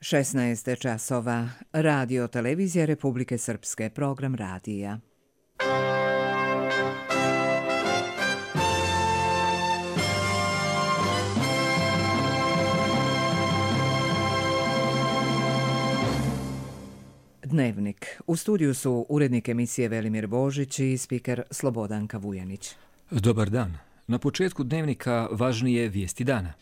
16 časova. Radio televizija Republike Srpske, program radija. Dnevnik. U studiju su urednik emisije Velimir Božić i spiker Slobodanka Vujanić. Dobar dan. Na početku dnevnika važnije vijesti dana.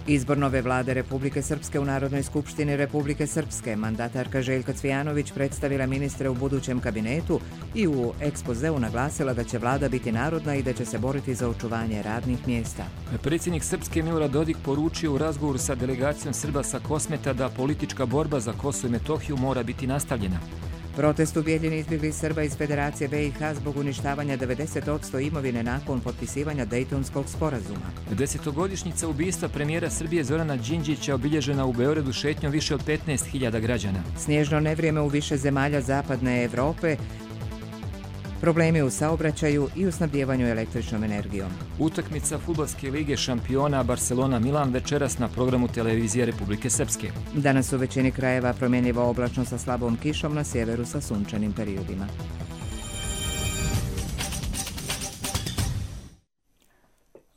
Izbor nove vlade Republike Srpske u Narodnoj skupštini Republike Srpske. Mandatarka Željka Cvijanović predstavila ministre u budućem kabinetu i u ekspozeu naglasila da će vlada biti narodna i da će se boriti za očuvanje radnih mjesta. Predsjednik Srpske Milorad Dodik poručio u razgovoru sa delegacijom Srba sa Kosmeta da politička borba za Kosovo i Metohiju mora biti nastavljena. Protest ubijeljeni izbjeglih Srba iz Federacije BiH zbog uništavanja 90% imovine nakon potpisivanja Dejtonskog sporazuma. 10-godišnjica ubistva premijera Srbije Zorana Đinđića obilježena u Beogradu šetnjom više od 15.000 građana. Snježno nevrijeme u više zemalja zapadne Evrope, problemi u saobraćaju i u snabdjevanju električnom energijom. Utakmica Fudbalske lige šampiona Barcelona-Milan večeras na programu televizije Republike Srpske. Danas u većini krajeva promjenjivo oblačno sa slabom kišom, na sjeveru sa sunčanim periodima.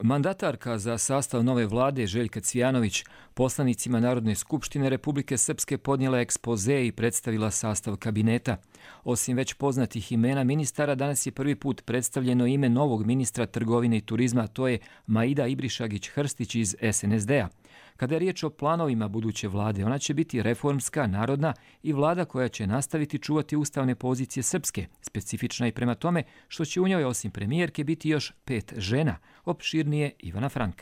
Mandatarka za sastav nove vlade Željka Cvijanović poslanicima Narodne skupštine Republike Srpske podnijela ekspoze i predstavila sastav kabineta. Osim već poznatih imena ministara, danas je prvi put predstavljeno ime novog ministra trgovine i turizma, to je Maida Ibrišagić-Hrstić iz SNSD-a. Kada je riječ o planovima buduće vlade, ona će biti reformska, narodna i vlada koja će nastaviti čuvati ustavne pozicije Srpske, specifična i prema tome što će u njoj osim premijerke biti još 5 žena, opširnije Ivana Frank.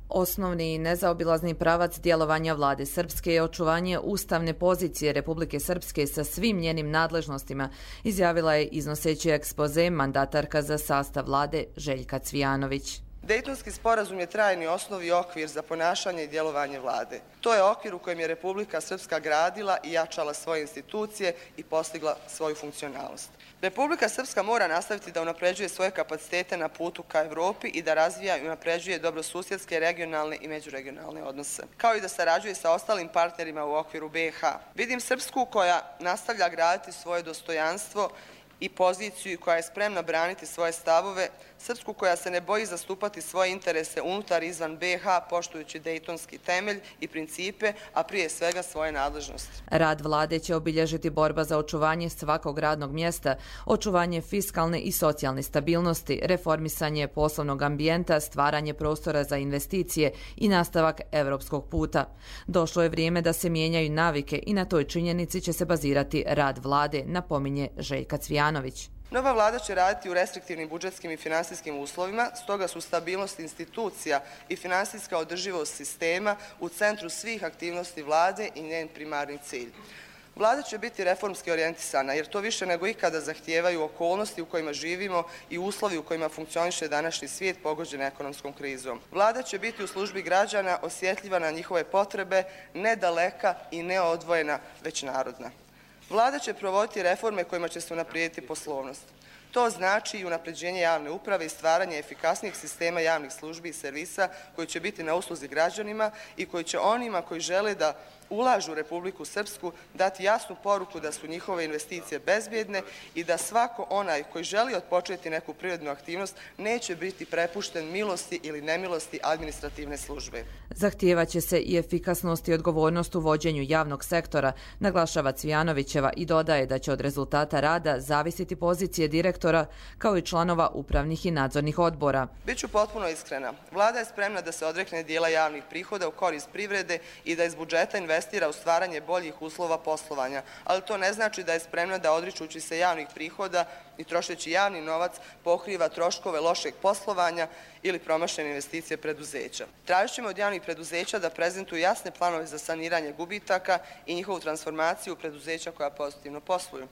Osnovni i nezaobilazni pravac djelovanja vlade Srpske je očuvanje ustavne pozicije Republike Srpske sa svim njenim nadležnostima, izjavila je iznoseći ekspoze mandatarka za sastav vlade Željka Cvijanović. Dejtonski sporazum je trajni osnov i okvir za ponašanje i djelovanje vlade. To je okvir u kojem je Republika Srpska gradila i jačala svoje institucije i postigla svoju funkcionalnost. Republika Srpska mora nastaviti da unapređuje svoje kapacitete na putu ka Evropi i da razvija i unapređuje dobrosusjedske, regionalne i međuregionalne odnose, kao i da sarađuje sa ostalim partnerima u okviru BiH. Vidim Srpsku koja nastavlja graditi svoje dostojanstvo i poziciju koja je spremna braniti svoje stavove, Srpsku koja se ne boji zastupati svoje interese unutar i izvan BiH poštujući dejtonski temelj i principe, a prije svega svoje nadležnosti. Rad vlade će obilježiti borba za očuvanje svakog radnog mjesta, očuvanje fiskalne i socijalne stabilnosti, reformisanje poslovnog ambijenta, stvaranje prostora za investicije i nastavak evropskog puta. Došlo je vrijeme da se mijenjaju navike i na toj činjenici će se bazirati rad vlade, napominje Željka Cvijanović. Nova vlada će raditi u restriktivnim budžetskim i finansijskim uslovima, stoga su stabilnost institucija i finansijska održivost sistema u centru svih aktivnosti vlade i njen primarni cilj. Vlada će biti reformski orijentisana jer to više nego ikada zahtijevaju okolnosti u kojima živimo i uslovi u kojima funkcioniše današnji svijet pogođen ekonomskom krizom. Vlada će biti u službi građana, osjetljiva na njihove potrebe, ne daleka i neodvojena, već narodna. Vlada će provoditi reforme kojima će se unaprijediti poslovnost. To znači i unapređenje javne uprave i stvaranje efikasnijih sistema javnih službi i servisa koji će biti na usluzi građanima i koji će onima koji žele da ulažu u Republiku Srpsku dati jasnu poruku da su njihove investicije bezbjedne i da svako onaj koji želi otpočeti neku privrednu aktivnost neće biti prepušten milosti ili nemilosti administrativne službe. Zahtijevaće se i efikasnost i odgovornost u vođenju javnog sektora, naglašava Cvijanovićeva i dodaje da će od rezultata rada zavisiti pozicije direktora kao i članova upravnih i nadzornih odbora. Biću potpuno iskrena. Vlada je spremna da se odrekne dijela javnih prihoda u korist privrede i da iz budžeta investira u stvaranje boljih uslova poslovanja, ali to ne znači da je spremna da odričući se javnih prihoda i trošeći javni novac pokriva troškove lošeg poslovanja ili promašene investicije preduzeća. Tražit ćemo od javnih preduzeća da prezentuju jasne planove za saniranje gubitaka i njihovu transformaciju u preduzeća koja pozitivno posluju.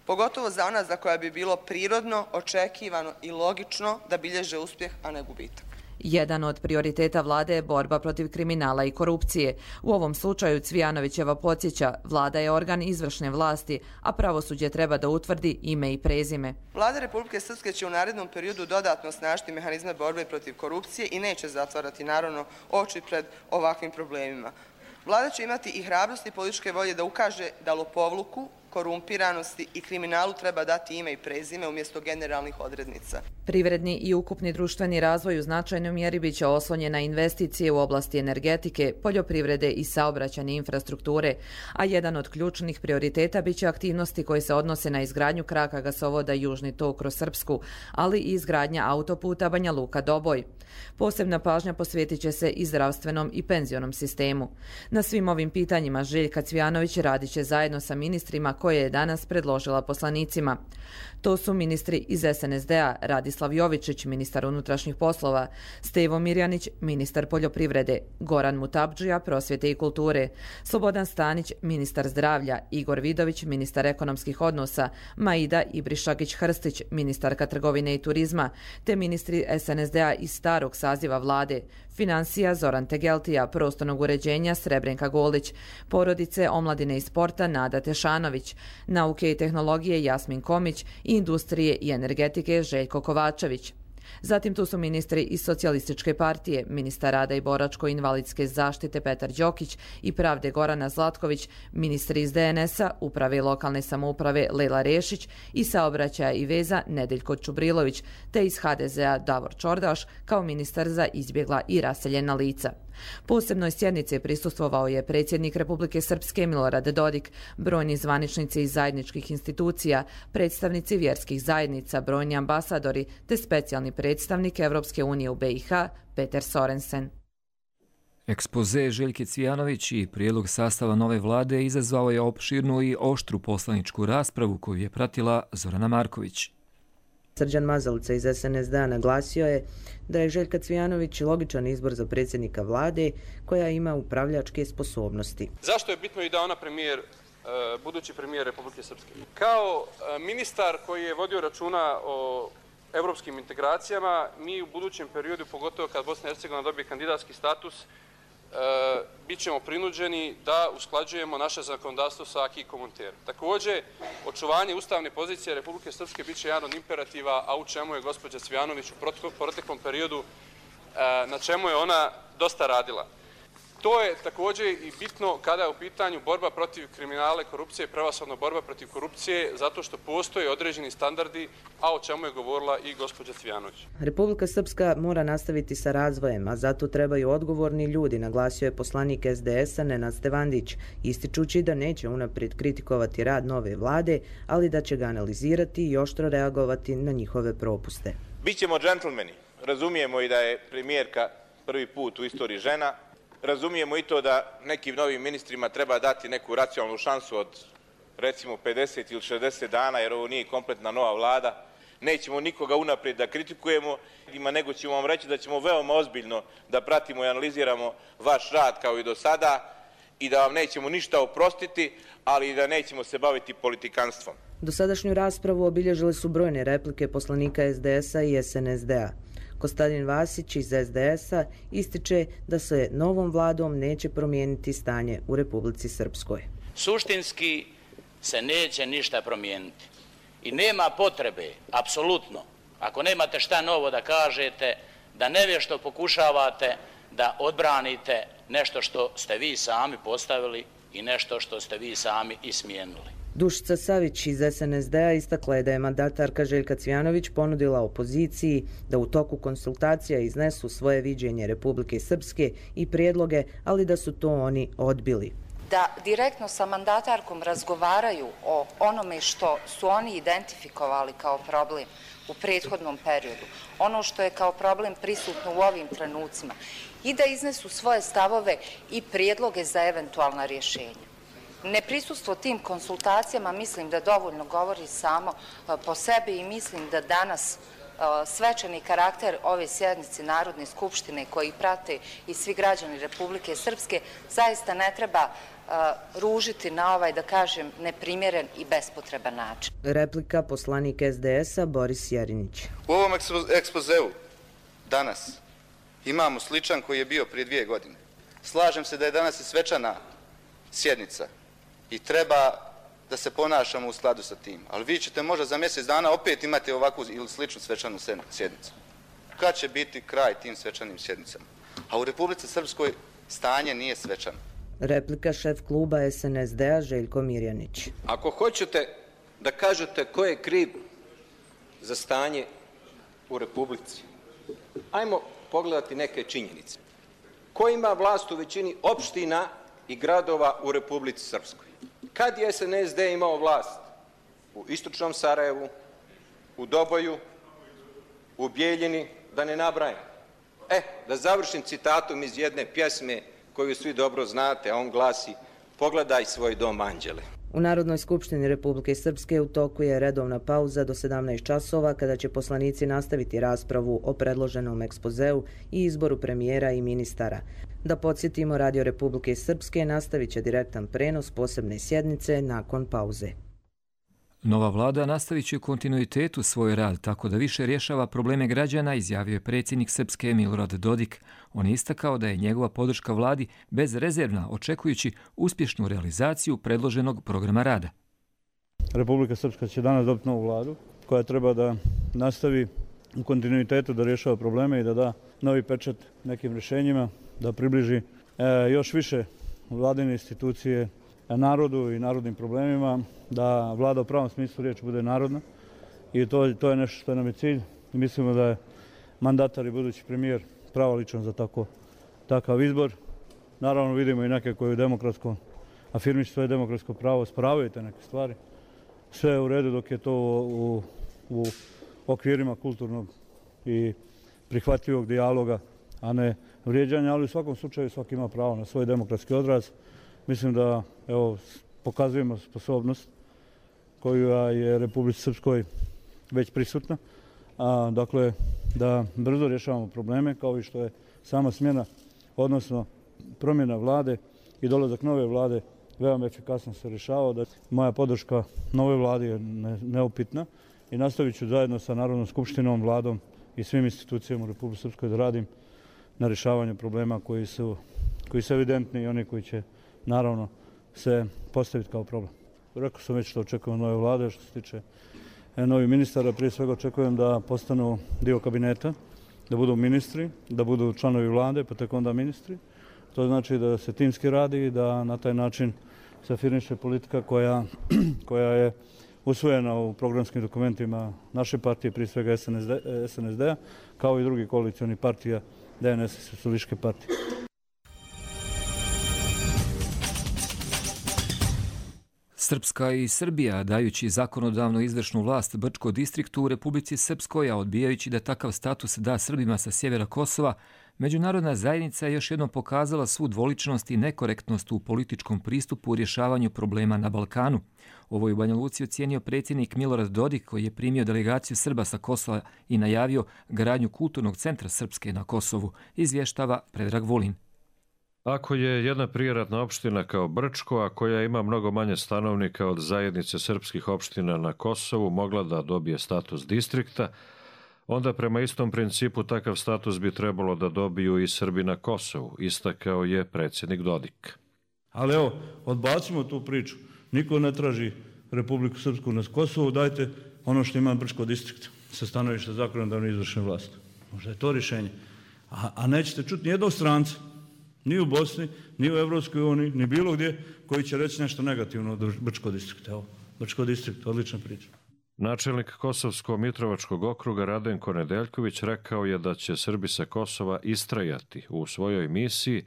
Pogotovo za ona za koja bi bilo prirodno, očekivano i logično da bilježe uspjeh, a ne gubitak. Jedan od prioriteta vlade je borba protiv kriminala i korupcije. U ovom slučaju Cvijanovićeva podsjeća, vlada je organ izvršne vlasti, a pravosuđe treba da utvrdi ime i prezime. Vlada Republike Srpske će u narednom periodu dodatno osnažiti mehanizme borbe protiv korupcije i neće zatvarati naravno oči pred ovakvim problemima. Vlada će imati i hrabrosti i političke volje da ukaže da lopovluku, korumpiranosti i kriminalu treba dati ime i prezime umjesto generalnih odrednica. Privredni i ukupni društveni razvoj u značajnoj mjeri biće oslonjen na investicije u oblasti energetike, poljoprivrede i saobraćajne infrastrukture, a jedan od ključnih prioriteta biće aktivnosti koje se odnose na izgradnju kraka gasovoda Južni tok kroz Srpsku, ali i izgradnja autoputa Banja Luka-Doboj. Posebna pažnja posvetit će se i zdravstvenom i penzionom sistemu. Na svim ovim pitanjima Željka Cvijanović radit će zajedno sa ministrima koje je danas predložila poslanicima. To su ministri iz SNSD-a Radislav Jovičić, ministar unutrašnjih poslova, Stevo Mirjanić, ministar poljoprivrede, Goran Mutabdžija, prosvjete i kulture, Slobodan Stanić, ministar zdravlja, Igor Vidović, ministar ekonomskih odnosa, Maida Ibrišagić-Hrstić, ministarka trgovine i turizma, te ministri SNSD-a iz starog saziva vlade, financija Zoran Tegeltija, prostornog uređenja Srebrenka Golić, porodice, omladine i sporta Nada Tešanović, nauke i tehnologije Jasmin Komić i industrije i energetike Željko Kovačević. Zatim tu su ministri iz Socijalističke partije, ministar rada i boračko-invalidske zaštite Petar Đokić i pravde Gorana Zlatković, ministri iz DNS-a, uprave i lokalne samouprave Lela Rešić i saobraćaja i veza Nedeljko Čubrilović, te iz HDZ-a Davor Čordaš kao ministar za izbjegla i raseljena lica. Posebnoj sjednici prisustvovao je predsjednik Republike Srpske Milorad Dodik, brojni zvaničnici iz zajedničkih institucija, predstavnici vjerskih zajednica, brojni ambasadori te specijalni predstavnik Evropske unije u BiH Peter Sorensen. Ekspoze Željke Cvijanović i prijedlog sastava nove vlade izazvao je opširnu i oštru poslaničku raspravu koju je pratila Zorana Marković. Srđan Mazalica iz SNSD-a naglasio je da je Željka Cvijanović logičan izbor za predsjednika vlade koja ima upravljačke sposobnosti. Zašto je bitno i da ona budući premijer Republike Srpske? Kao ministar koji je vodio računa o evropskim integracijama, mi u budućem periodu, pogotovo kad Bosna i Hercegovina dobije kandidatski status, bit ćemo prinuđeni da usklađujemo naše zakonodavstvo sa acquis communautaire. Također, očuvanje ustavne pozicije Republike Srpske bit će jedan od imperativa, a u čemu je gospođa Cvijanović u proteklom periodu, na čemu je ona dosta radila. To je također i bitno kada je u pitanju borba protiv kriminala i korupcije, prevashodno borba protiv korupcije, zato što postoje određeni standardi, a o čemu je govorila i gospođa Cvijanović. Republika Srpska mora nastaviti sa razvojem, a zato trebaju odgovorni ljudi, naglasio je poslanik SDS-a Nenad Stevandić, ističući da neće unaprijed kritikovati rad nove vlade, ali da će ga analizirati i oštro reagovati na njihove propuste. Bićemo džentlmeni, razumijemo i da je premijerka prvi put u istoriji žena. Razumijemo i to da nekim novim ministrima treba dati neku racionalnu šansu od recimo 50 ili 60 dana, jer ovo nije kompletna nova vlada. Nećemo nikoga unaprijed da kritikujemo, nego ćemo vam reći da ćemo veoma ozbiljno da pratimo i analiziramo vaš rad kao i do sada i da vam nećemo ništa oprostiti, ali i da nećemo se baviti politikanstvom. Dosadašnju raspravu obilježile su brojne replike poslanika SDS-a i SNSD-a. Kostadin Vasić iz SDS-a ističe da se novom vladom neće promijeniti stanje u Republici Srpskoj. Suštinski se neće ništa promijeniti i nema potrebe, apsolutno, ako nemate šta novo da kažete, da nevješto pokušavate da odbranite nešto što ste vi sami postavili i nešto što ste vi sami i smijenuli. Dušica Savić iz SNSD-a istakla je da je mandatarka Željka Cvijanović ponudila opoziciji da u toku konsultacija iznesu svoje viđenje Republike Srpske i prijedloge, ali da su to oni odbili. Da direktno sa mandatarkom razgovaraju o onome što su oni identifikovali kao problem u prethodnom periodu, ono što je kao problem prisutno u ovim trenucima i da iznesu svoje stavove i prijedloge za eventualna rješenja. Neprisustvo tim konsultacijama mislim da dovoljno govori samo po sebi i mislim da danas svečani karakter ove sjednice Narodne skupštine koji prate i svi građani Republike Srpske zaista ne treba ružiti na ovaj, da kažem, neprimjeren i bespotreban način. Replika poslanik SDS-a Boris Jerinić. U ovom ekspozeu danas imamo sličan koji je bio prije 2 godine. Slažem se da je danas i svečana sjednica i treba da se ponašamo u skladu sa tim. Ali vi ćete možda za mjesec dana opet imati ovakvu ili sličnu svečanu sjednicu. Kad će biti kraj tim svečanim sjednicama? A u Republici Srpskoj stanje nije svečano. Replika šef kluba SNSD-a Željko Mirjanić. Ako hoćete da kažete ko je kriv za stanje u Republici, ajmo pogledati neke činjenice. Ko ima vlast u većini opština i gradova u Republici Srpskoj? Kad je SNSD imao vlast? U istočnom Sarajevu, u Doboju, u Bijeljini, da ne nabrajam. Da završim citatom iz jedne pjesme koju svi dobro znate, a on glasi: pogledaj svoj dom, anđele. U Narodnoj skupštini Republike Srpske u toku je redovna pauza do 17 časova kada će poslanici nastaviti raspravu o predloženom ekspozeu i izboru premijera i ministara. Da podsjetimo, Radio Republike Srpske nastavit će direktan prenos posebne sjednice nakon pauze. Nova vlada nastavit će u kontinuitetu svoj rad tako da više rješava probleme građana, izjavio je predsjednik Srpske Milorad Dodik. On je istakao da je njegova podrška vladi bezrezervna, očekujući uspješnu realizaciju predloženog programa rada. Republika Srpska će danas dobiti novu vladu koja treba da nastavi u kontinuitetu da rješava probleme i da da novi pečat nekim rješenjima, da približi još više vladine institucije narodu i narodnim problemima, da vlada u pravom smislu riječi bude narodna i to je nešto što nam je cilj. Mislimo da je mandatar i budući premijer pravoličan za takav izbor. Naravno vidimo i neke koji afirmišu svoje demokratsko pravo, spravaju te neke stvari. Sve je u redu dok je to u okvirima kulturnog i prihvatljivog dijaloga, a ne vrijeđanja, ali u svakom slučaju svaki ima pravo na svoj demokratski odraz. Mislim da pokazujemo sposobnost koja je Republici Srpskoj već prisutna. Dakle, da brzo rješavamo probleme, kao i što je sama smjena, odnosno promjena vlade i dolazak nove vlade veoma efikasno se rješavao. Moja podrška nove vlade je neupitna i nastavit ću zajedno sa Narodnom skupštinom, vladom i svim institucijama u Republici Srpskoj da radim na rješavanju problema koji su evidentni i oni koji će naravno se postaviti kao problem. Rekao sam već što očekujem nove vlade, što se tiče novih ministara. Prije svega očekujem da postanu dio kabineta, da budu ministri, da budu članovi vlade, pa tek onda ministri. To znači da se timski radi i da na taj način se afirmiše politika koja je usvojena u programskim dokumentima naše partije, prije svega SNSD-a, kao i drugih koalicionih partija, DNS i Socijalističke partije. Srpska i Srbija, dajući zakonodavno izvršnu vlast Brčko distriktu u Republici Srpskoj, a odbijajući da takav status da Srbima sa sjevera Kosova, međunarodna zajednica je još jednom pokazala svu dvoličnost i nekorektnost u političkom pristupu u rješavanju problema na Balkanu. Ovo je u Banja Luci ocijenio predsjednik Milorad Dodik, koji je primio delegaciju Srba sa Kosova i najavio gradnju kulturnog centra Srpske na Kosovu, izvještava Predrag Vulin. Ako je jedna prijeratna opština kao Brčko, a koja ima mnogo manje stanovnika od zajednice srpskih opština na Kosovu, mogla da dobije status distrikta, onda prema istom principu takav status bi trebalo da dobiju i Srbi na Kosovu, istakao je predsjednik Dodik. Ali evo, odbacimo tu priču. Niko ne traži Republiku Srpsku na Kosovu, dajte ono što ima Brčko distrikt sa stanovišta zakonodavne izvršne vlasti. Možda je to rješenje. A nećete čuti nijednog stranca, ni u Bosni, ni u Evropskoj uniji, ni bilo gdje, koji će reći nešto negativno od Brčko distrikta. Evo, Brčko distrikt, odlična priča. Načelnik Kosovsko-Mitrovačkog okruga Radenko Nedeljković rekao je da će Srbi sa Kosova istrajati u svojoj misiji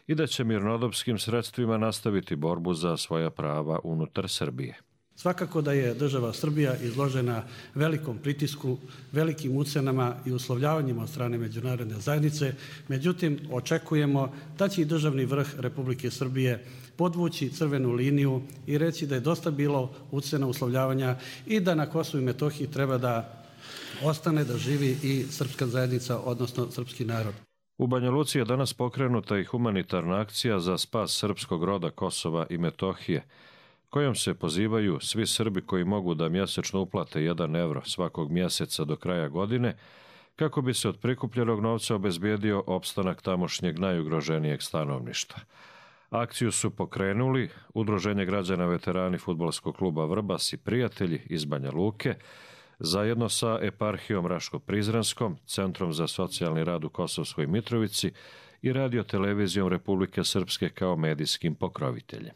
i da će mirnodopskim sredstvima nastaviti borbu za svoja prava unutar Srbije. Svakako da je država Srbija izložena velikom pritisku, velikim ucenama i uslovljavanjima od strane međunarodne zajednice, međutim očekujemo da će i državni vrh Republike Srbije podvući crvenu liniju i reći da je dosta bilo ucena, uslovljavanja i da na Kosovu i Metohiji treba da ostane da živi i srpska zajednica, odnosno srpski narod. U Banja Luci je danas pokrenuta i humanitarna akcija za spas srpskog roda Kosova i Metohije, kojom se pozivaju svi Srbi koji mogu da mjesečno uplate 1 evro svakog mjeseca do kraja godine, kako bi se od prikupljenog novca obezbijedio opstanak tamošnjeg najugroženijeg stanovništva. Akciju su pokrenuli Udruženje građana veterani Fudbalskog kluba Vrbas i prijatelji iz Banja Luke, zajedno sa eparhijom Raško-Prizrenskom, Centrom za socijalni rad u Kosovskoj Mitrovici i Radio-televizijom Republike Srpske kao medijskim pokroviteljem.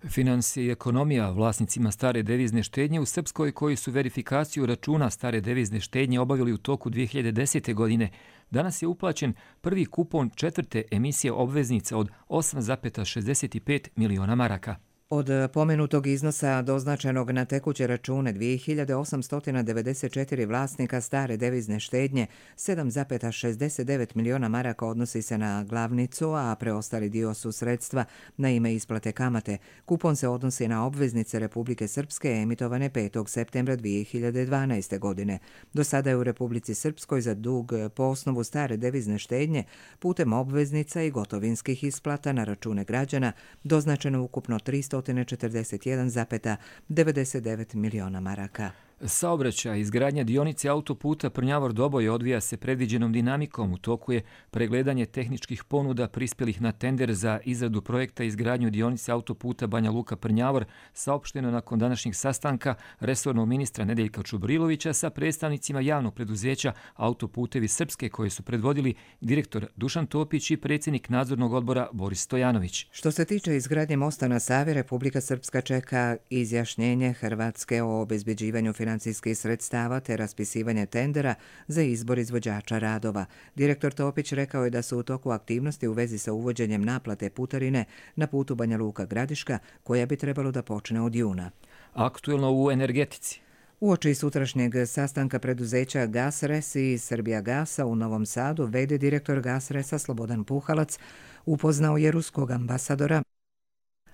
Financije i ekonomija vlasnicima stare devizne štednje u Srpskoj koji su verifikaciju računa stare devizne štednje obavili u toku 2010. godine, danas je uplaćen prvi kupon četvrte emisije obveznica od 8,65 miliona maraka. Od pomenutog iznosa doznačenog na tekuće račune 2894 vlasnika stare devizne štednje, 7,69 miliona maraka odnosi se na glavnicu, a preostali dio su sredstva na ime isplate kamate. Kupon se odnosi na obveznice Republike Srpske emitovane 5. septembra 2012. godine. Do sada je u Republici Srpskoj za dug po osnovu stare devizne štednje putem obveznica i gotovinskih isplata na račune građana doznačeno ukupno 341,99 miliona maraka. Saobraćaj izgradnja dionice autoputa Prnjavor-Doboj odvija se predviđenom dinamikom. U toku je pregledanje tehničkih ponuda prispjelih na tender za izradu projekta izgradnju dionice autoputa Banja Luka-Prnjavor, saopšteno nakon današnjeg sastanka resornog ministra Nedeljka Čubrilovića sa predstavnicima javnog preduzeća Autoputevi Srpske koje su predvodili direktor Dušan Topić i predsjednik nadzornog odbora Boris Stojanović. Što se tiče izgradnje mosta na Savi, Republika Srpska čeka izjašnjenje Hrvatske o obezbeđivanju financijskih sredstava te raspisivanje tendera za izbor izvođača radova. Direktor Topić rekao je da su u toku aktivnosti u vezi sa uvođenjem naplate putarine na putu Banja Luka-Gradiška, koja bi trebalo da počne od juna. Aktuelno u energetici. Uoči sutrašnjeg sastanka preduzeća Gasres i Srbija Gasa u Novom Sadu, v.d. direktor Gasresa Slobodan Puhalac upoznao je ruskog ambasadora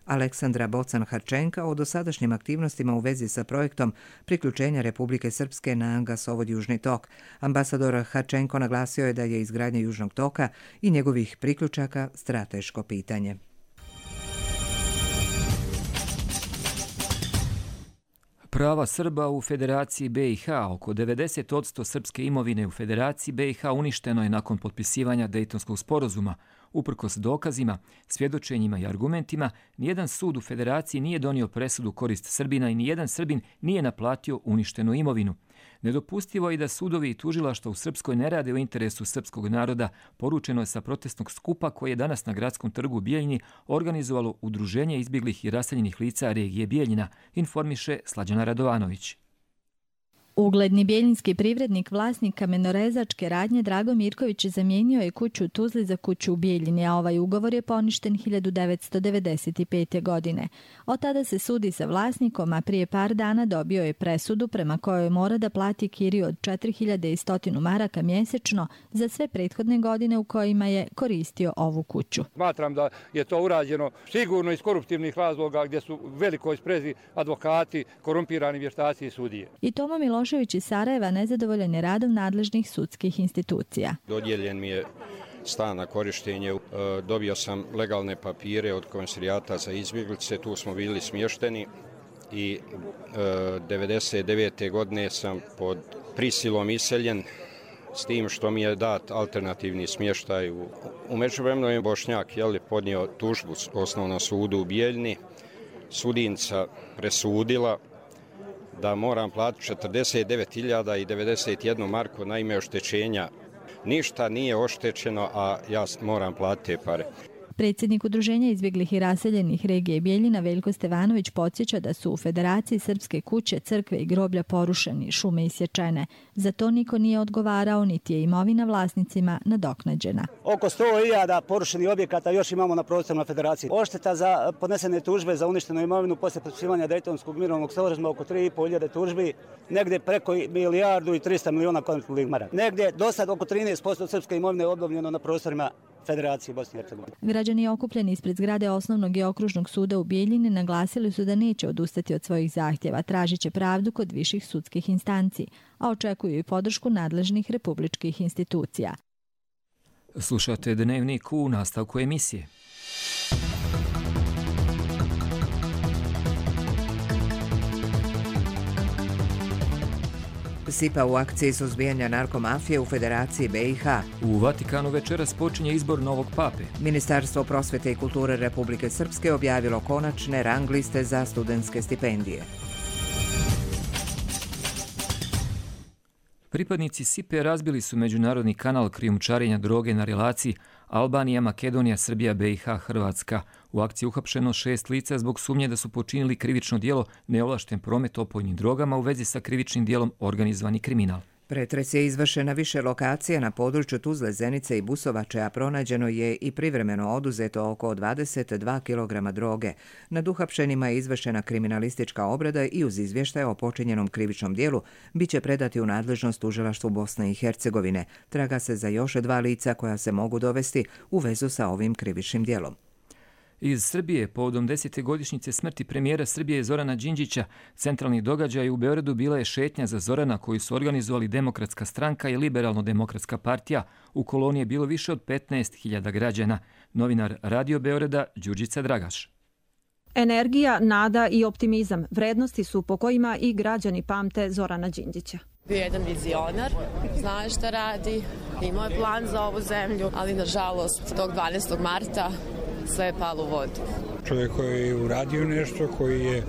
Aleksandra Bocan-Harčenka o dosadašnjim aktivnostima u vezi sa projektom priključenja Republike Srpske na gasovod Južni tok. Ambasador Harčenko naglasio je da je izgradnja Južnog toka i njegovih priključaka strateško pitanje. Prava Srba u Federaciji BiH. Oko 90% srpske imovine u Federaciji BiH uništeno je nakon potpisivanja Dejtonskog sporazuma. Uprkos dokazima, svjedočenjima i argumentima, nijedan sud u Federaciji nije donio presudu korist Srbina i nijedan Srbin nije naplatio uništenu imovinu. Nedopustivo je da sudovi i tužilaštva u Srpskoj ne rade u interesu srpskog naroda, poručeno je sa protestnog skupa koji je danas na gradskom trgu u Bijeljini organizovalo Udruženje izbjeglih i raseljenih lica regije Bijeljina, informiše Slađana Radovanović. Ugledni bijeljinski privrednik, vlasnik kamenorezačke radnje Drago Mirković zamijenio je kuću u Tuzli za kuću u Bijeljini, a ovaj ugovor je poništen 1995. godine. Od tada se sudi sa vlasnikom, a prije par dana dobio je presudu prema kojoj mora da plati kiriju od 4100 maraka mjesečno za sve prethodne godine u kojima je koristio ovu kuću. Smatram da je to urađeno sigurno iz koruptivnih razloga gdje su velikoj sprezi advokati, korumpirani vještaci i sudije. I Tomo Milošević iz Sarajeva nezadovoljan je radom nadležnih sudskih institucija. Dodijeljen mi je stan na korištenje, dobio sam legalne papire od Komisarijata za izbjeglice, tu smo bili smješteni i 1999. godine sam pod prisilom iseljen, s tim što mi je dat alternativni smještaj. U međuvremenu je Bošnjak podnio tužbu u Osnovnom sudu u Bijeljini, sudinca presudila da moram platiti 49.091 marku na ime oštećenja. Ništa nije oštećeno, a ja moram platiti te pare. Predsjednik Udruženja izbjeglih i raseljenih regije Bijeljina Veljko Stevanović podsjeća da su u Federaciji srpske kuće, crkve i groblja porušeni, šume isječene. Za to niko nije odgovarao, niti je imovina vlasnicima nadoknađena. Oko 100.000 porušenih objekata još imamo na prostorima Federacije. Ošteta za podnesene tužbe za uništenu imovinu poslije potpisivanja Dejtonskog mirovnog sporazuma oko 3.500 tužbi, negdje preko 1.300 miliona konvertibilnih maraka. Negdje do sad oko 13% srpske imovine je obnovljeno na prostorima Federacije Bosne i Hercegovine. Građani okupljeni ispred zgrade Osnovnog i okružnog suda u Bijeljini naglasili su da neće odustati od svojih zahtjeva, tražit će pravdu kod viših sudskih instanci, a očekuju i podršku nadležnih republičkih institucija. Slušate Dnevnik u nastavku emisije. SIPA u akciji suzbijanja narkomafije u Federaciji BiH. U Vatikanu večeras počinje izbor novog pape. Ministarstvo prosvete i kulture Republike Srpske objavilo konačne rang liste za studentske stipendije. Pripadnici SIPE razbili su međunarodni kanal krijumčarenja droge na relaciji Albanija, Makedonija, Srbija, BiH, Hrvatska. U akciji uhapšeno 6 lica zbog sumnje da su počinili krivično djelo neovlašten promet opojnim drogama u vezi sa krivičnim djelom organizovani kriminal. Pretres je izvršen na više lokacija na području Tuzle, Zenice i Busovače, a pronađeno je i privremeno oduzeto oko 22 kg droge. Nad uhapšenima je izvršena kriminalistička obrada i uz izvještaje o počinjenom krivičnom dijelu biće predati u nadležnost tužilaštvu Bosne i Hercegovine. Traga se za još 2 lica koja se mogu dovesti u vezu sa ovim krivičnim dijelom. Iz Srbije, povodom 10. godišnjice smrti premijera Srbije Zorana Đinđića, centralni događaj u Beogradu bila je šetnja za Zorana koju su organizovali Demokratska stranka i Liberalno-demokratska partija. U koloni je bilo više od 15.000 građana. Novinar Radio Beograda Đurđica Dragaš. Energija, nada i optimizam vrednosti su po kojima i građani pamte Zorana Đinđića. Bio je jedan vizionar, zna šta radi, imao je plan za ovu zemlju, ali nažalost tog 12. marta sve je palo u vodu. Čovjek koji je uradio nešto, koji je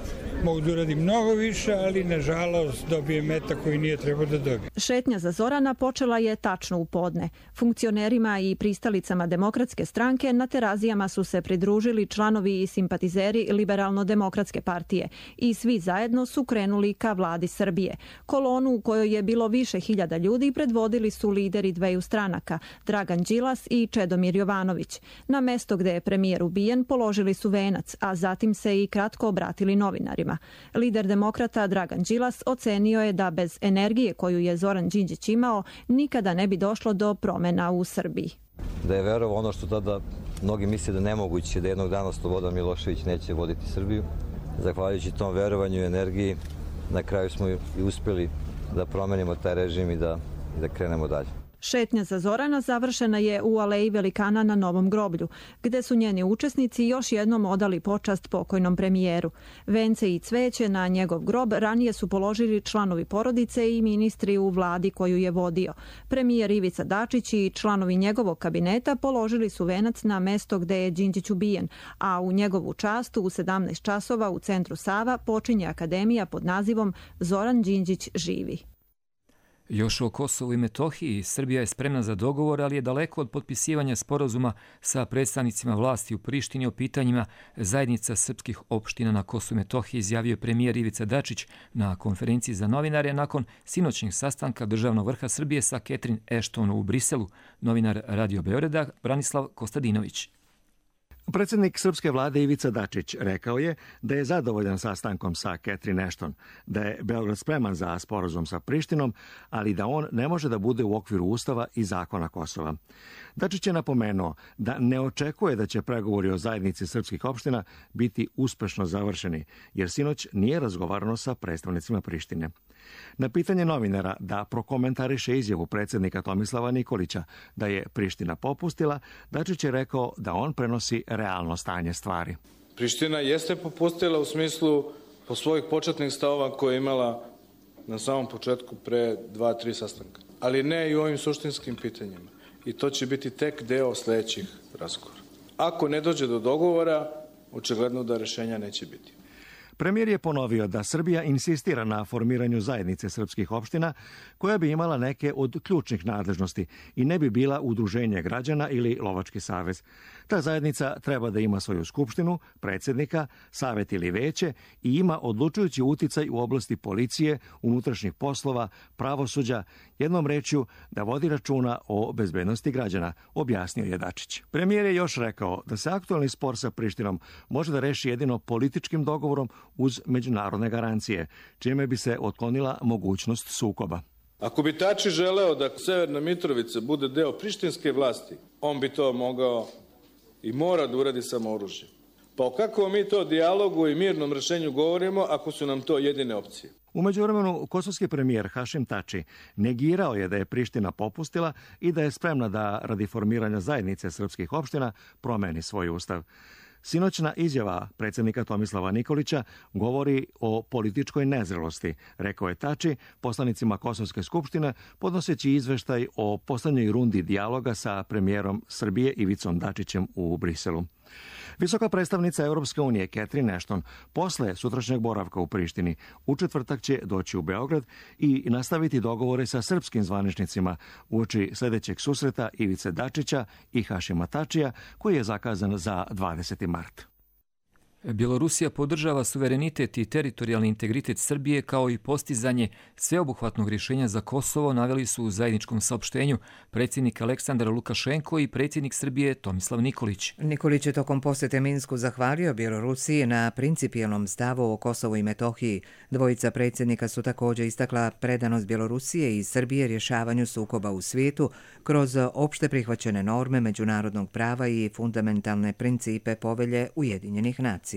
mogu da uradi mnogo više, ali nažalost dobije meta koji nije trebao da dobije. Šetnja za Zorana počela je tačno u podne. Funkcionerima i pristalicama Demokratske stranke na Terazijama su se pridružili članovi i simpatizeri Liberalno-demokratske partije i svi zajedno su krenuli ka vladi Srbije. Kolonu u kojoj je bilo više hiljada ljudi predvodili su lideri dveju stranaka, Dragan Đilas i Čedomir Jovanović. Na mesto gde je premijer ubijen položili su venac, a zatim se i kratko obratili novinarima. Lider demokrata Dragan Đilas ocenio je da bez energije koju je Zoran Đinđić imao nikada ne bi došlo do promjena u Srbiji. Da je verovao ono što tada mnogi misle da nemoguće, da jednog dana Slobodan Milošević neće voditi Srbiju. Zahvaljujući tom verovanju i energiji, na kraju smo i uspjeli da promenimo taj režim i da krenemo dalje. Šetnja za Zorana završena je u Aleji Velikana na Novom groblju, gde su njeni učesnici još jednom odali počast pokojnom premijeru. Vence i cveće na njegov grob ranije su položili članovi porodice i ministri u vladi koju je vodio. Premijer Ivica Dačić i članovi njegovog kabineta položili su venac na mesto gde je Đinđić ubijen, a u njegovu čast u 17 časova u centru Sava počinje akademija pod nazivom Zoran Đinđić živi. Još o Kosovu i Metohiji, Srbija je spremna za dogovor, ali je daleko od potpisivanja sporazuma sa predstavnicima vlasti u Prištini o pitanjima zajednica srpskih opština na Kosovu i Metohiji, izjavio premijer Ivica Dačić na konferenciji za novinare nakon sinoćnjeg sastanka državnog vrha Srbije sa Catherine Ashton u Briselu. Novinar Radio Beograda Branislav Kostadinović. Predsjednik srpske vlade Ivica Dačić rekao je da je zadovoljan sastankom sa Catherine Ashton, da je Beograd spreman za sporazum sa Prištinom, ali da on ne može da bude u okviru Ustava i zakona Kosova. Dačić je napomenuo da ne očekuje da će pregovori o zajednici srpskih opština biti uspešno završeni, jer sinoć nije razgovarano sa predstavnicima Prištine. Na pitanje novinara da prokomentariše izjavu predsjednika Tomislava Nikolića da je Priština popustila, Dačić je rekao da on prenosi realno stanje stvari. Priština jeste popustila u smislu po svojih početnih stavova koje je imala na samom početku pre 2-3 sastanka, ali ne i u ovim suštinskim pitanjima. I to će biti tek deo sledećih razgovora. Ako ne dođe do dogovora, očigledno da rešenja neće biti. Premijer je ponovio da Srbija insistira na formiranju zajednice srpskih opština koja bi imala neke od ključnih nadležnosti i ne bi bila udruženje građana ili lovački savez. Ta zajednica treba da ima svoju skupštinu, predsjednika, savet ili veće i ima odlučujući uticaj u oblasti policije, unutrašnjih poslova, pravosuđa, jednom rečju da vodi računa o bezbednosti građana, objasnio je Dačić. Premijer je još rekao da se aktualni spor sa Prištinom može da reši jedino političkim dogovorom uz međunarodne garancije, čime bi se otklonila mogućnost sukoba. Ako bi Tači želeo da Severna Mitrovica bude deo prištinske vlasti, on bi to mogao i mora da uradi samo oružjem. Pa o kakvom mi to dijalogu i mirnom rešenju govorimo ako su nam to jedine opcije? U međuvremenu, kosovski premijer Hašim Tači negirao je da je Priština popustila i da je spremna da radi formiranja zajednice srpskih opština promeni svoj ustav. Sinoćna izjava predsjednika Tomislava Nikolića govori o političkoj nezrelosti, rekao je Tači poslanicima Kosovske skupštine podnoseći izveštaj o poslednjoj rundi dijaloga sa premijerom Srbije Ivicom Dačićem u Briselu. Visoka predstavnica Europske unije Catherine Ashton posle sutrašnjeg boravka u Prištini u četvrtak će doći u Beograd i nastaviti dogovore sa srpskim zvaničnicima uoči sljedećeg susreta Ivice Dačića i Hašima Tačija koji je zakazan za 20. mart. Bjelorusija podržava suverenitet i teritorijalni integritet Srbije kao i postizanje sveobuhvatnog rješenja za Kosovo, naveli su u zajedničkom saopštenju predsjednik Aleksandar Lukašenko i predsjednik Srbije Tomislav Nikolić. Nikolić je tokom posjete Minsku zahvalio Bjelorusiji na principijelnom stavu o Kosovu i Metohiji. Dvojica predsjednika su također istakla predanost Bjelorusije i Srbije rješavanju sukoba u svijetu kroz opšte prihvaćene norme međunarodnog prava i fundamentalne principe povelje Ujedinjenih nacija.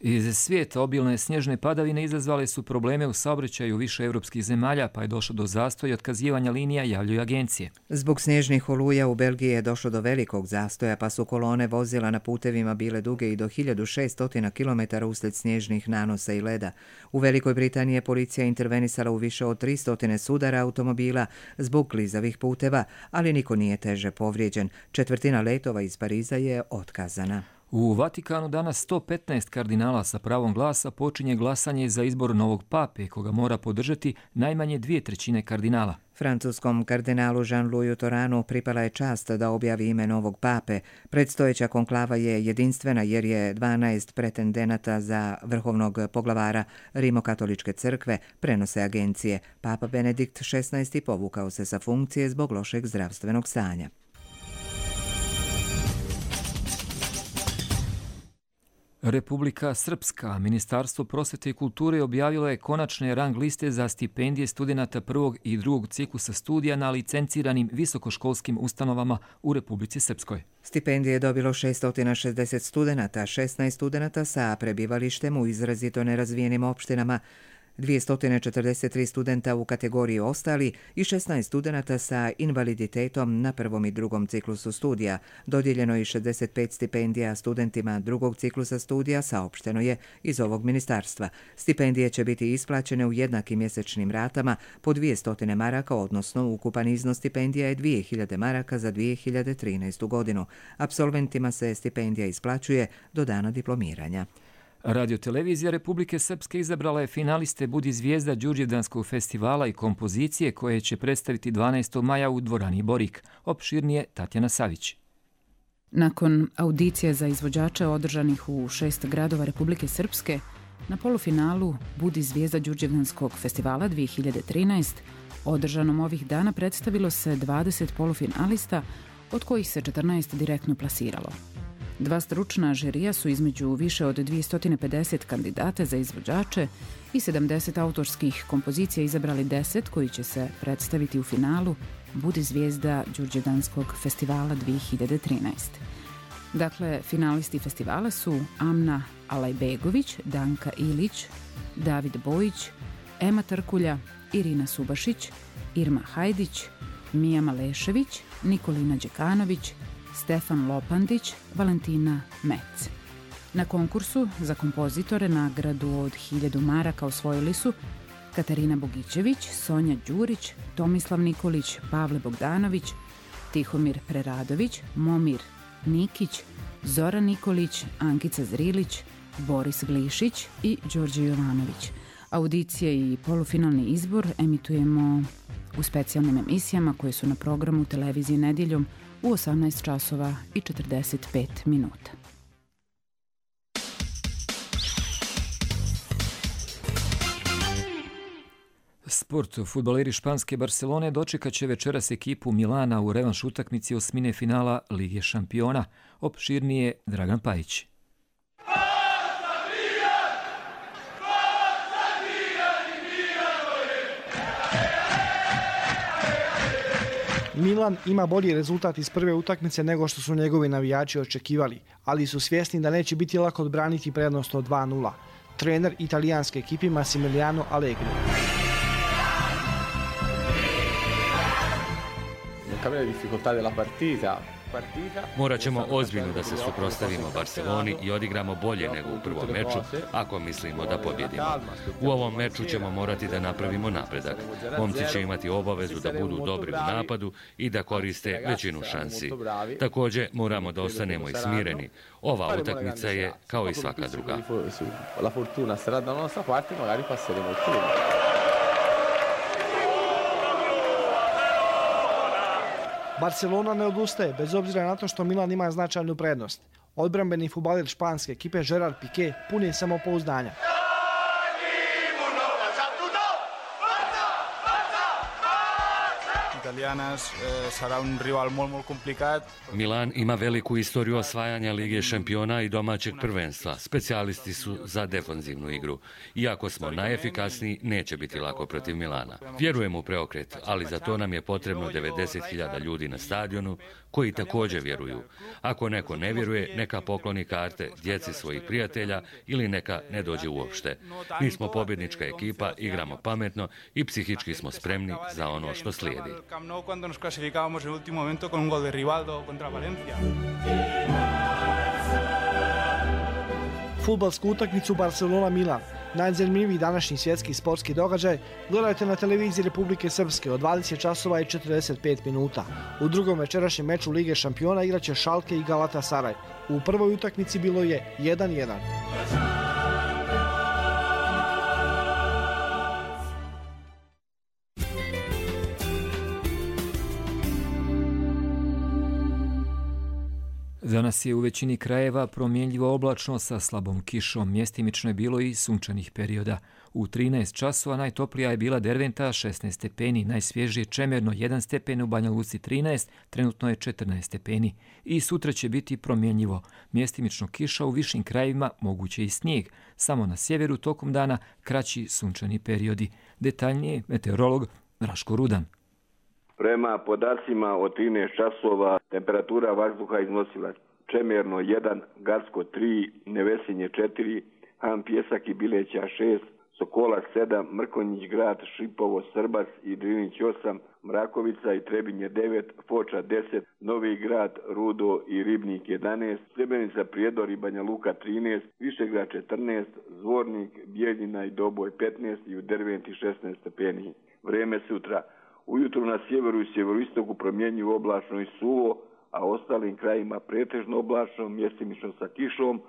Iz svijeta obilne snježne padavine izazvale su probleme u saobraćaju više europskih zemalja, pa je došlo do zastoja i otkazivanja linija, javljaju agencije. Zbog snježnih oluja u Belgiji je došlo do velikog zastoja, pa su kolone vozila na putevima bile duge i do 1600 km uslijed snježnih nanosa i leda. U Velikoj Britaniji je policija intervenisala u više od 300 sudara automobila zbog klizavih puteva, ali niko nije teže povrijeđen. Četvrtina letova iz Pariza je otkazana. U Vatikanu danas 115 kardinala sa pravom glasa počinje glasanje za izbor novog pape, koga mora podržati najmanje 2/3 kardinala. Francuskom kardinalu Jean-Louis Toranu pripala je čast da objavi ime novog pape. Predstojeća konklava je jedinstvena jer je 12 pretendenata za vrhovnog poglavara Rimokatoličke crkve, prenose agencije. Papa Benedikt XVI povukao se sa funkcije zbog lošeg zdravstvenog stanja. Republika Srpska, Ministarstvo prosvete i kulture objavilo je konačne rang liste za stipendije studenata prvog i drugog ciklusa studija na licenciranim visokoškolskim ustanovama u Republici Srpskoj. Stipendije je dobilo 660 studenata, 16 studenata sa prebivalištem u izrazito nerazvijenim opštinama, 243 studenta u kategoriji ostali i 16 studenata sa invaliditetom na prvom i drugom ciklusu studija. Dodijeljeno je 65 stipendija studentima drugog ciklusa studija, saopšteno je iz ovog ministarstva. Stipendije će biti isplaćene u jednakim mjesečnim ratama po 200 maraka, odnosno ukupan iznos stipendija je 2000 maraka za 2013. godinu. Apsolventima se stipendija isplaćuje do dana diplomiranja. Radiotelevizija Republike Srpske izabrala je finaliste Budi zvijezda Đurđevdanskog festivala i kompozicije koje će predstaviti 12. maja u dvorani Borik. Opširnije Tatjana Savić. Nakon audicije za izvođače održanih u 6 gradova Republike Srpske, na polufinalu Budi zvijezda Đurđevdanskog festivala 2013, održanom ovih dana predstavilo se 20 polufinalista, od kojih se 14 direktno plasiralo. Dva stručna žirija su između više od 250 kandidata za izvođače i 70 autorskih kompozicija izabrali 10 koji će se predstaviti u finalu Budi zvijezda Đurđevdanskog festivala 2013. Dakle, finalisti festivala su Amna Alajbegović, Danka Ilić, David Bojić, Ema Trkulja, Irina Subašić, Irma Hajdić, Mija Malešević, Nikolina Đekanović, Stefan Lopandić, Valentina Mec. Na konkursu za kompozitore nagradu od 1000 maraka osvojili su Katarina Bogićević, Sonja Đurić, Tomislav Nikolić, Pavle Bogdanović, Tihomir Preradović, Momir Nikić, Zoran Nikolić, Ankica Zrilić, Boris Glišić i Đorđe Jovanović. Audicije i polufinalni izbor emitujemo u specijalnim emisijama koje su na programu televizije nedjeljom u 18 časova i 45 minuta. Sport. Fudbaleri španske Barcelone dočekat će večeras ekipu Milana u revanš utakmici osmine finala Lige šampiona. Opširnije Dragan Pajić. Milan ima bolji rezultat iz prve utakmice nego što su njegovi navijači očekivali, ali su svjesni da neće biti lako odbraniti prednost od 2:0. Trener italijanske ekipe Massimiliano Allegri. Non cambia la difficoltà della partita, Morat ćemo ozbiljno da se suprotstavimo Barceloni i odigramo bolje nego u prvom meču ako mislimo da pobjedimo. U ovom meču ćemo morati da napravimo napredak. Momci će imati obavezu da budu dobri u napadu i da koriste većinu šansi. Također moramo da ostanemo i smireni. Ova utakmica je kao i svaka druga. Barcelona ne odustaje, bez obzira na to što Milan ima značajnu prednost. Odbrambeni fudbaler španske ekipe Gerard Piqué pun je samopouzdanja. Milan ima veliku istoriju osvajanja Lige šampiona i domaćeg prvenstva. Specijalisti su za defanzivnu igru. Iako smo najefikasniji, neće biti lako protiv Milana. Vjerujem u preokret, ali za to nam je potrebno 90.000 ljudi na stadionu koji također vjeruju. Ako neko ne vjeruje, neka pokloni karte djeci svojih prijatelja ili neka ne dođe uopšte. Mi smo pobjednička ekipa, igramo pametno i psihički smo spremni za ono što slijedi. Cuando nos clasificábamos en el último momento con un gol de Rivaldo contra Valencia. Fudbalsku utakmicu Barcelona-Milan, najzanimljiviji današnji svjetski sportski događaj, gledajte na televiziji Republike Srpske od 20 časova i 45 minuta. U drugom večerašnjem meču Lige šampiona igraće Schalke i Galatasaray. U prvoj utakmici bilo je 1:1. Danas je u većini krajeva promjenljivo oblačno sa slabom kišom, mjestimično je bilo i sunčanih perioda. U 13 časova najtoplija je bila Derventa 16 stepeni, najsvježije Čemerno 1 stepen, u Banja Luci 13, trenutno je 14 stepeni. I sutra će biti promjenljivo, mjestimično kiša u višim krajevima, moguće i snijeg. Samo na sjeveru tokom dana kraći sunčani periodi. Detaljnije meteorolog Raško Rudan. Prema podacima od 13 časova temperatura vazduha iznosila Čemerno 1, Garsko 3, Nevesinje 4, Han Pjesak i Bileća 6, Sokola 7, Mrkonjić Grad, Šipovo, Srbac i Drinić 8, Mrakovica i Trebinje 9, Foča 10, Novi Grad, Rudo i Ribnik 11, Srebrenica, Prijedor i Banja Luka 13, Višegrad 14, Zvornik, Bijeljina i Doboj 15 i u Derventi 16 stepeni. Vreme sutra. Ujutro na sjeveru i sjeveroistoku promjenjivo oblačno i suvo, a ostalim krajima pretežno oblačno, mjestimično sa kišom,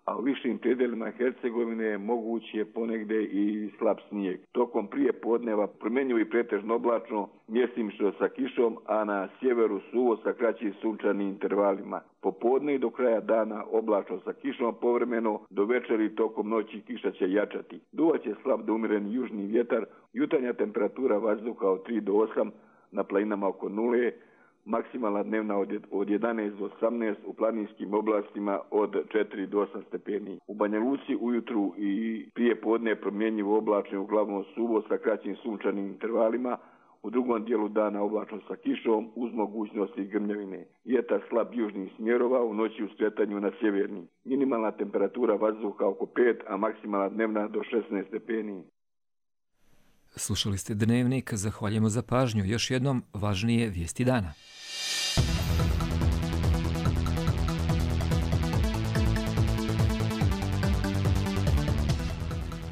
a u višim predjelima Hercegovine mogući je ponegde i slab snijeg. Tokom prije podneva promjenjivo i pretežno oblačno, mjestimično sa kišom, a na sjeveru suvo sa kraćim sunčanim intervalima. Popodne i do kraja dana oblačno sa kišom povremeno, do večeri tokom noći kiša će jačati. Duvaće slab do umjereni južni vjetar, jutarnja temperatura vazduha od 3 do 8, na planinama oko 0, maksimalna dnevna od 11 do 18, u planinskim oblastima od 4 do 8 stepeni. U Banja Luci ujutru i prije podne promjenjivo oblačno, uglavnom suvo sa kraćim sunčanim intervalima, u drugom dijelu dana oblačno sa kišom uz mogućnosti grmljavine. Vjetar slab južnih smjerova, u noći u skretanju na sjeverni. Minimalna temperatura vazduha oko 5, a maksimalna dnevna do 16 stepeni. Slušali ste Dnevnik, zahvaljujemo za pažnju. Još jednom važnije vijesti dana.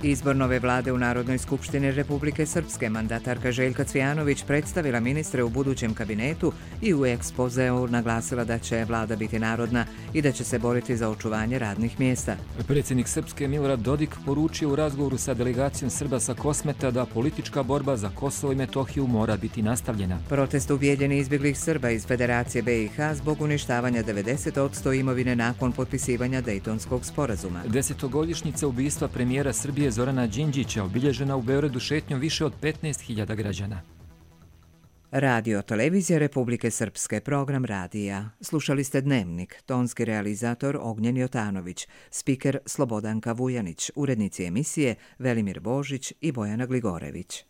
Izbor nove vlade u Narodnoj skupštini Republike Srpske, mandatarka Željka Cvijanović predstavila ministre u budućem kabinetu i u ekspozeu naglasila da će vlada biti narodna i da će se boriti za očuvanje radnih mjesta. Predsjednik Srpske Milorad Dodik poručio u razgovoru sa delegacijom Srba sa Kosmeta da politička borba za Kosovo i Metohiju mora biti nastavljena. Protest ubijeljeni izbjeglih Srba iz Federacije BiH zbog uništavanja 90% imovine nakon potpisivanja Dejtonskog sporazuma. 10-godišnjica ubistva premijera Srbije Zorana Đinđića obilježena u Beogradu šetnjom više od 15.000 građana. Radio Televizija Republike Srpske, program radija. Slušali ste Dnevnik, tonski realizator Ognjen Jotanović, spiker Slobodanka Vujanić, urednici emisije Velimir Božić i Bojana Gligorević.